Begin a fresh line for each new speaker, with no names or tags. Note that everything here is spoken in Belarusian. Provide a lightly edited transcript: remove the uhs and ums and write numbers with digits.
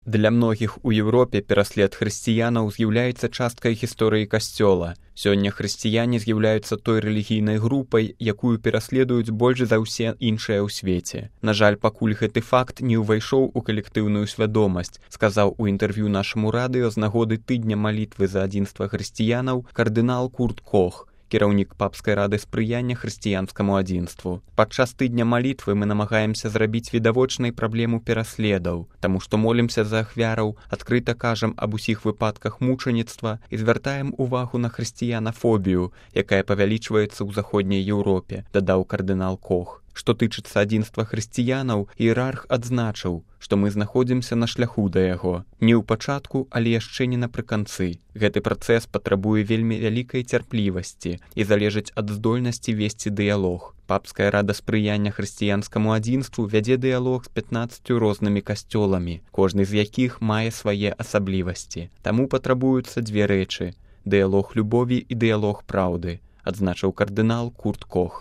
Для многіх у Еўропе пераслед хрысціянаў з'яўляецца часткай гісторыі касцёла. Сёння хрысціяне з'яўляюцца той рэлігійнай групай, якую пераследуюць больш за ўсе іншыя ў свеце. На жаль, пакуль гэты факт не ўвайшоў у калектыўную свядомасць, сказаў у інтэрв'ю нашаму радыё з нагоды тыдня малітвы за адзінства хрысціянаў кардынал Курт Кох, кіраўнік папскай рады спрыяння хрысціянскаму адзінству. Падчас тыдня малітвы мы намагаемся зрабіць відавочнай праблему пераследаў, таму што молімся за ахвяраў, адкрыта кажам аб усіх выпадках мучаніцтва і звяртаем увагу на хрысціянафобію, якая павялічваецца ў заходняй Еўропе, дадаў кардынал Кох. Што тычыцца адзінства хрысціянаў, іерарх адзначыў, што мы знаходзімся на шляху да яго. Не ў пачатку, але яшчэ не напрыканцы. Гэты працэс патрабуе вельмі вялікай цярплівасці і залежыць ад здольнасці весці дыялог. Папская рада спрыяння хрысціянскаму адзінству вядзе дыялог з 15 рознымі касцёламі, кожны з якіх мае свае асаблівасці. Таму патрабуюцца дзве рэчы – дыялог любові і дыялог праўды, адзначыў кардынал Курт Кох.